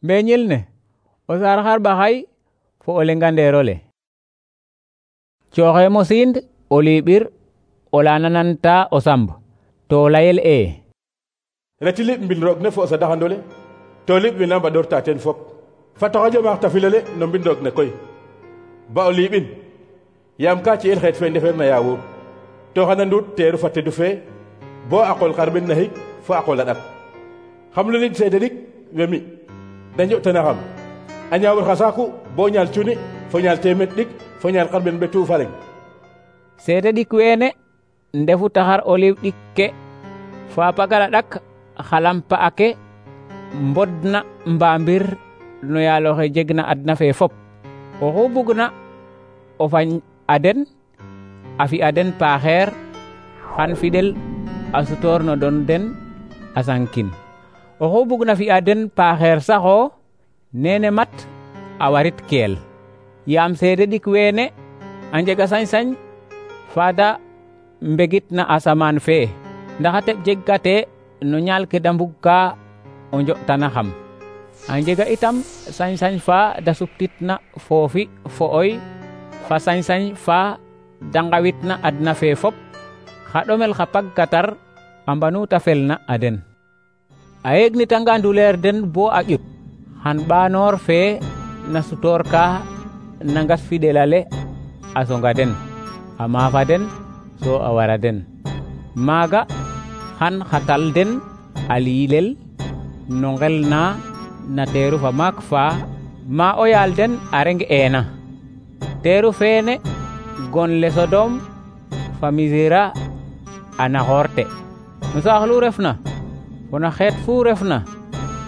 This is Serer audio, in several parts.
Mbeñil ne o saar xarɓaxay fo o lengandeerole. Cooxe mosind o liɓir o la nananta o samb to layel reti liɓ mbin roog ne fo o sadaxandole to liɓ wina mbaɗorta teen fop. Fata xaƴo tafilale no mbin roog ne koy ba o liɓin yaam ka ci'el xeet fe ndefeer na yaawur to xana nduut teeru fa tedu fee bo a qol xarɓen naxik fo a qol a ɗak. xam lu lig seede dik we mi da njo'tana xam a ñaawur xa saaku bo ñaal cuni fo ñaal teemet ɗik fo ñaal xarɓen ɓetu fa leŋ. seede ɗik weene ndefu taxar oliw ɗik ke fa pagal a ɗak xa lampa ake mbodna mbambir no yaaloxe jegna adna fe fop. Oxu bugna o fañ a den a fi'a den paaxeer xan fidel a sutoor no don den a sankin. Oxu bugna fi'a den paaxeer saxo nene mat a warit keel. Yaam seede ɗik weene a njega sañ-sañ faada mbegit na asamaan fe ndax a teɓ jegkate no ñaal ke da mbugka o njo'tana xam. A njega itam sañ-sañ fa da suptitna foofi fo oy fa sañ-sañ fa da ngawitna adna fe fop xa ɗomel xa pagkatar a mbanu ta felna a den. A yegnitanga nduleer den bo a ƴut xan ɓaanoor fe na sutoor ka na ngas fidelale a songa den a maafa den so a wara den. Maaga xan xatal den a liilel no ngel na teeru fa maak fa ma o yaal den a reng eena. Teeru feene gon le Sodom fa Misira a naxoorte no saax lu refna fo no xeet fu refna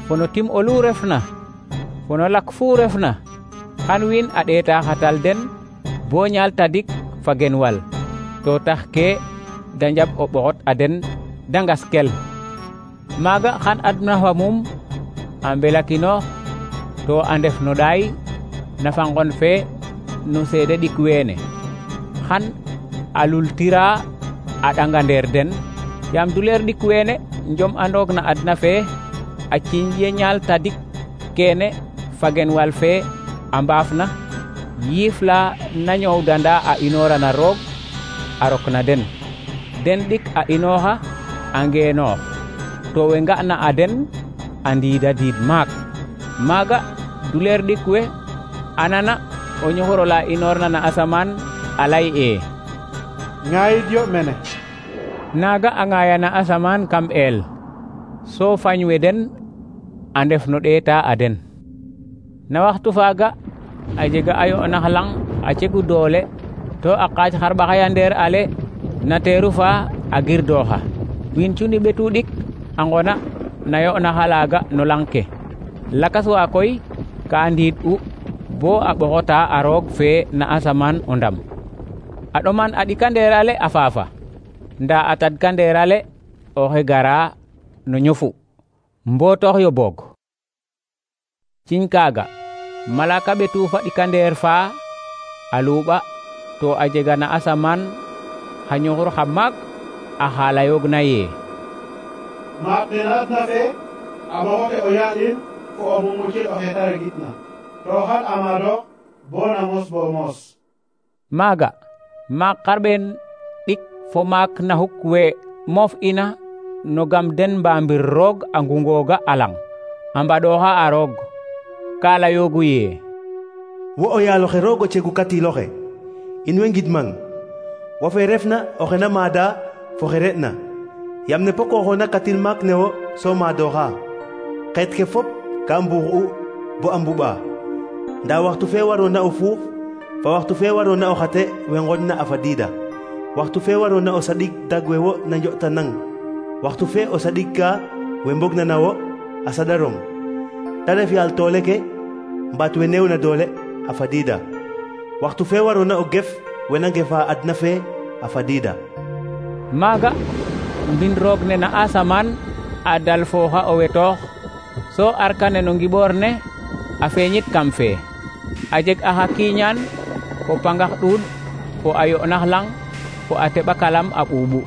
fo no tim olu refna fo no lak fu refna xan wiin a ɗeeta xatal den bo ñaal tadik fa genwal to tax ke da njaɓ o ɓoxot a den da ngas kel. Maaga xan adna fa mum a mbelakinoox to a ndef no ɗaay na fa ngon fe no seede ɗik weene xan a lultira a ɗangandeer den yaam duleer ɗik weene njom andoog na adna fe a ciiñ ye ñaal tadik keene fa genwal fe a mbaafna yiif la na ñoowdanda a inoora na roog a rok na den. Den ɗik a inooxa a ngeenoox to we nga'na a den a ndiida diid maak. Maaga duleer ɗik we a nana o ñuxur ola inoorna na asamaan a lay ŋaayid yo mene. Naaga a ŋaaya na asamaan kam eel so fañ we den a ndef no ɗeeta a den. Na waxtu faaga a jega a yo'nax lang a cegu doole to a qaac xarɓaxayandeer ale na teeru fa a girdooxa. Wiin cuni ɓetu ɗik a ngona na yo'naxa laaga no lang ke. Lakas wa koy ka ndiid u bo a ɓoxota a roog fe na asamaan o ndam. A ɗoman a ɗikandeer ale a faafa ndaa a tadkandeer ale oxe gara no ñofu mbootox yo boog. Ciñ kaaga malaka ɓetu fa ɗikandeer fa a luuɓa to a jega na asamaan xa ñuxur xa maak a xaalayoogna maak ne na adna fe a ɓoxote o yaa'in fo o mumucil oxe ta regitna to xan a maadoox bo na mos bo moos. Maaga maak xarɓeen ɗik fo maak naxuk we moof ina no gam den mbambir roog a ngungooga a lang a mbaɗooxa a roog ka layoogu wo o yaaloxe roog o cegu katiloxe in way ngidmang wo fe refna oxe na maada fo xe re'na yam ne pokooxoona katil maak ne wo so maadooxa. Xeet ke fop ka mbuux'u bo a mbuɓa ndaa waxtu fe waroona o fuux fa waxtu fe waroona o xate we nqoñna a fadiida. Waxtu fe waroona o saɗik dag we wo na njo'tanang waxtu fe o saɗigka we mbogna na wo a saɗarong ta ref yaal toole ke mbaat we neewna doole a fadiida. Waxtu fe waroona o gef we na ngefa adna fe a fadiida. Maaga mbin roog ne na asamaan a dal fooxa o wetoox so arkane no ngiɓoor ne a feeñit kam fe a jeg axa kiiñaan fo pangax ɗuuɗ fo a yo'nax lang fo a teɓakalam a ɓuuɓu.